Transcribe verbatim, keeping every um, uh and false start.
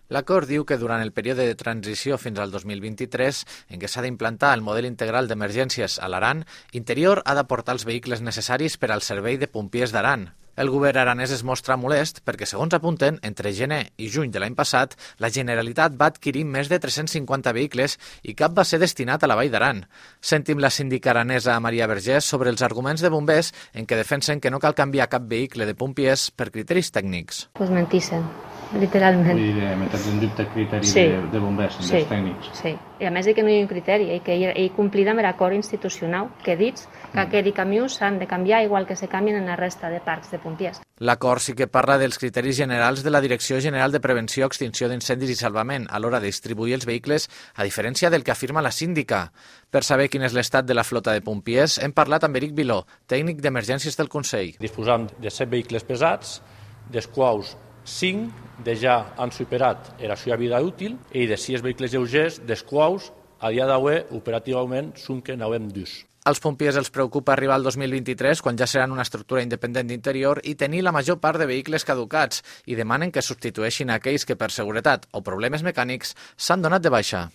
L'acord diu que durant el període de transició fins al dos mil vint-i-tres, en què s'ha d'implantar el model integral d'emergències a l'Aran, Interior ha d'aportar els vehicles necessaris per al servei de pompiers d'Aran. El govern aranès es mostra molest perquè, segons apunten, entre gener i juny de l'any passat, la Generalitat va adquirir més de tres-cents cinquanta vehicles i cap va ser destinat a la Vall d'Aran. Sentim la síndica aranesa Maria Vergés sobre els arguments de bombers en què defensen que no cal canviar cap vehicle de pompiers per criteris tècnics. Pues mentixen, literalment. Vull dir, metre en dubte el criteri Sí. de, de bombers, Sí, dels tècnics. sí. I a més de que no hi ha un criteri, i que ell complir amb l'acord institucional que dits que aquells camions s'han de canviar igual que se canvien en la resta de parcs de pompiers. L'acord sí que parla dels criteris generals de la Direcció General de Prevenció, Extinció d'Incendis i Salvament a l'hora de distribuir els vehicles, a diferència del que afirma la síndica. Per saber quin és l'estat de la flota de pompiers, hem parlat amb Eric Viló, tècnic d'emergències del Consell. Disposam de set vehicles pesats, dels quals cinc de ja han superat la seva vida útil i de sis vehicles lleugers, dels quals a dia d'avui operativament són que n'havem dus. Als pompiers els preocupa arribar al dos mil vint-i-tres, quan ja seran una estructura independent d'Interior, i tenir la major part de vehicles caducats, i demanen que substitueixin aquells que per seguretat o problemes mecànics s'han donat de baixa.